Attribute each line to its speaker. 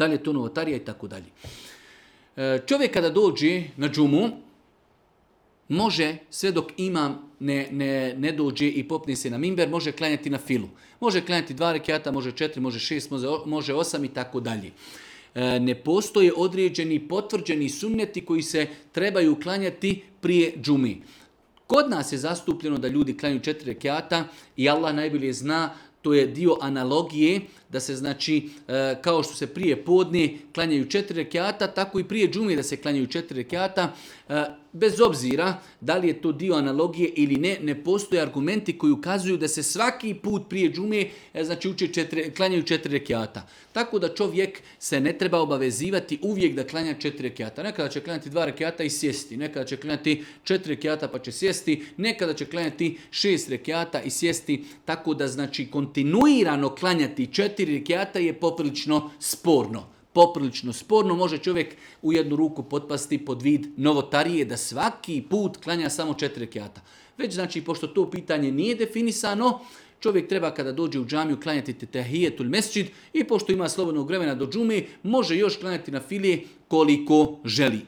Speaker 1: Da li je to novotarija i tako dalje. Čovjek kada dođe na džumu, može, sve dok imam ne dođe i popne se na mimber, može klanjati na filu. Može klanjati 2 rekata, može 4, može 6, može 8 i tako dalje. Ne postoje određeni potvrđeni sunneti koji se trebaju klanjati prije džumi. Kod nas je zastupljeno da ljudi klanjaju 4 rekata i Allah najbolje zna, to je dio analogije, da se znači, kao što se prije podne klanjaju 4 rekata, tako i prije džume da se klanjaju 4 rekata. Bez obzira da li je to dio analogije ili ne, ne postoje argumenti koji ukazuju da se svaki put prije džume znači klanjaju 4 rekata. Tako da čovjek se ne treba obavezivati uvijek da klanja 4 rekata. Nekada će klanjati 2 rekata i sjesti, nekada će klanjati 4 rekata pa će sjesti, nekada će klanjati 6 rekata i sjesti. Tako da znači kontinuirano klanjati 4 rekata je poprilično sporno. Poprilično sporno, može čovjek u jednu ruku potpasti pod vid novotarije da svaki put klanja samo 4 rekata. Već znači, pošto to pitanje nije definisano, čovjek treba kada dođe u džamiju klanjati tehijetul mesdžid i pošto ima slobodnog vremena do džume, može još klanjati na filije koliko želi.